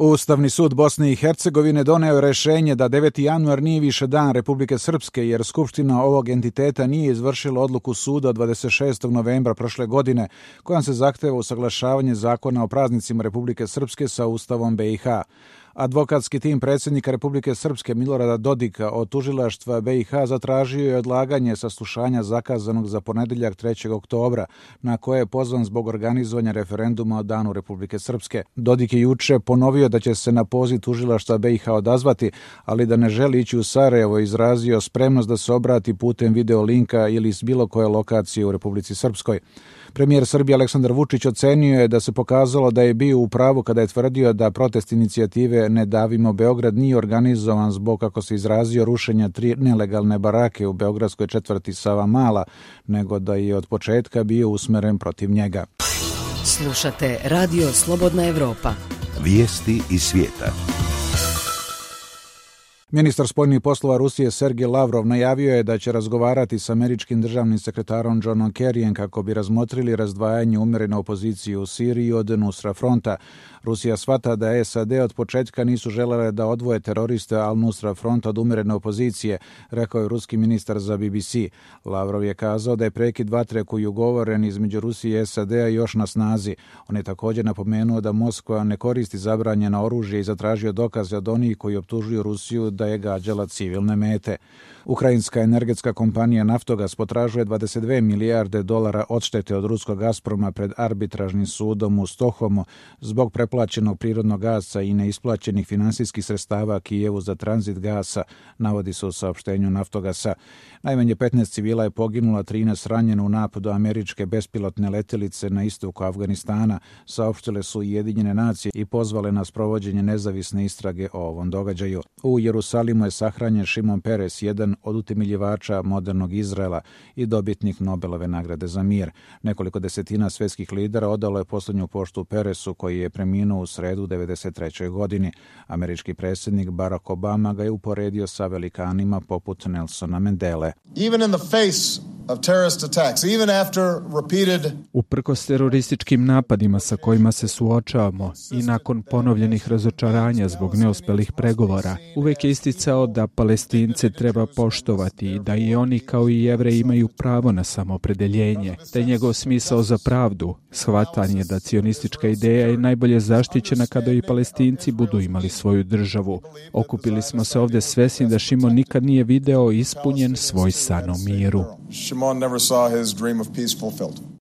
Ustavni sud Bosne i Hercegovine doneo je rješenje da 9. januar nije više dan Republike Srpske, jer Skupština ovog entiteta nije izvršila odluku suda od 26. novembra prošle godine, kojom se zahteva usaglašavanje zakona o praznicima Republike Srpske sa Ustavom BiH. Advokatski tim predsjednika Republike Srpske Milorada Dodika od tužilaštva BiH zatražio je odlaganje saslušanja zakazanog za ponedjeljak 3. oktobra, na koje je pozvan zbog organizovanja referenduma o Danu Republike Srpske. Dodik je juče ponovio da će se na poziv tužilaštva BiH odazvati, ali da ne želi ići u Sarajevo, izrazio spremnost da se obrati putem video linka ili s bilo koje lokacije u Republici Srpskoj. Premijer Srbije Aleksandar Vučić ocenio je da se pokazalo da je bio u pravu kada je tvrdio da protest inicijative Ne davimo Beograd nije organizovan zbog, kako se izrazio, rušenja 3 nelegalne barake u beogradskoj četvrti Savamala, nego da je od početka bio usmeren protiv njega. Slušate Radio Slobodna Evropa. Vijesti iz svijeta. Ministar spoljnih poslova Rusije Sergej Lavrov najavio je da će razgovarati s američkim državnim sekretarom Johnom Kerryjem kako bi razmotrili razdvajanje umjerene opozicije u Siriji od Nusra fronta. Rusija shvata da SAD od početka nisu želele da odvoje teroriste Al-Nusra front od umjerene opozicije, rekao je ruski ministar za BBC. Lavrov je kazao da je prekid vatre koji je ugovoren između Rusije i SAD-a još na snazi. On je također napomenuo da Moskva ne koristi zabranjeno oružje i zatražio dokaze od onih koji optužuju Rusiju da je gađala civilne mete. Ukrajinska energetska kompanija Naftogas potražuje 22 milijarde dolara odštete od ruskog Gazproma pred arbitražnim sudom u Stokholmu zbog preplaćenog prirodnog gasa i neisplaćenih finansijskih sredstava Kijevu za tranzit gasa, navodi se u saopštenju Naftogasa. Najmanje 15 civila je poginulo, 13 ranjeno u napadu američke bespilotne letjelice na istoku Afganistana, saopštile su Ujedinjene nacije i pozvale na sprovođenje nezavisne istrage o ovom događaju. U Jerusalimu je sahranjen Šimon Peres, jedan od utemeljivača modernog Izraela i dobitnik Nobelove nagrade za mir. Nekoliko desetina svjetskih lidera odalo je posljednju poštu Peresu, koji je preminuo u sredu 1993. godini. Američki predsjednik Barack Obama ga je uporedio sa velikanima poput Nelsona Mandele. Even in the face of terrorist attacks, even after repeated... Uprkos terorističkim napadima sa kojima se suočavamo i nakon ponovljenih razočaranja zbog neuspelih pregovora, uvijek je isticao da Palestince treba poštovati i da i oni kao i Jevreji imaju pravo na samoopredeljenje, da je njegov smisao za pravdu, shvatanje da cionistička ideja je najbolje zaštićena kada i Palestinci budu imali svoju državu. Okupili smo se ovdje svesni da Šimon nikad nije video ispunjen svoj san o miru. Shimon never saw his dream of peace fulfilled.